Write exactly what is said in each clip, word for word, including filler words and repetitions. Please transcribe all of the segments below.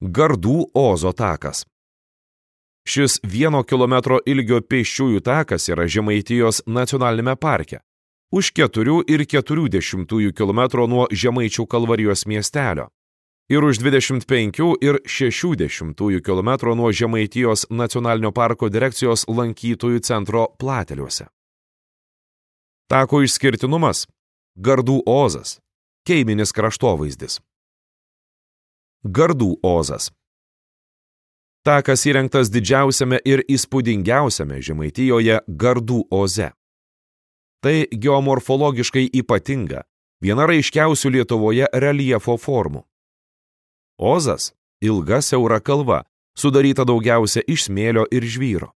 Gardų Ozo takas. Šis vieno kilometro ilgio pėsčiųjų takas yra Žemaitijos nacionalinėme parke, už keturių ir keturių dešimtųjų kilometro nuo Žemaičių Kalvarijos miestelio ir už dvidešimt penkių ir šešių dešimtųjų kilometro nuo Žemaitijos nacionalinio parko direkcijos lankytojų centro Plateliuose. Tako išskirtinumas – Gardų Ozas, keiminis kraštovaizdis. Gardų Ozas. Takas įrengtas didžiausiame ir įspūdingiausiame Žemaitijoje Gardų Oze. Tai geomorfologiškai ypatinga, viena raiškiausių Lietuvoje reljefo formų. Ozas – ilga siaura kalva, sudaryta daugiausia iš smėlio ir žvyro.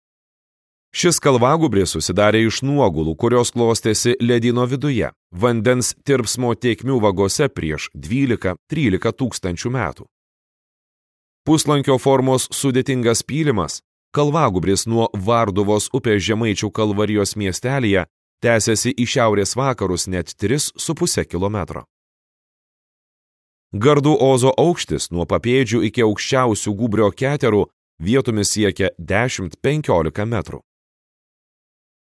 Šis kalvagūbris susidarė iš nuogulų, kurios klostėsi ledyno viduje, vandens tirpsmo tėkmių vagose prieš dvylika trylika tūkstančių metų. Puslankio formos sudėtingas pylimas, kalvagūbris nuo Varduvos upės Žemaičių Kalvarijos miestelyje tęsiasi į šiaurės vakarus net tris su puse kilometro. Gardų Ozo aukštis nuo papėdžių iki aukščiausių gūbrio keterų vietomis siekia dešimt penkiolika metrų.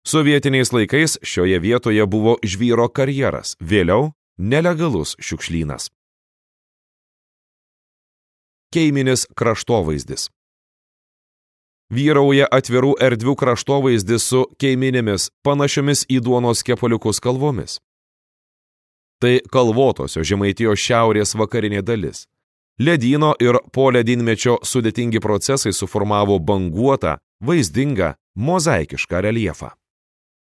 Sovietiniais laikais šioje vietoje buvo žvyro karjeras, vėliau nelegalus šiukšlynas. Keiminis kraštovaizdis. Vyrauja atvirų erdvių kraštovaizdis su keiminėmis, panašiomis į duonos kepaliukus kalvomis. Tai kalvotosios Žemaitijos šiaurės vakarinė dalis. Ledyno ir poledynmečio sudėtingi procesai suformavo banguotą, vaizdingą, mozaikišką reljefą.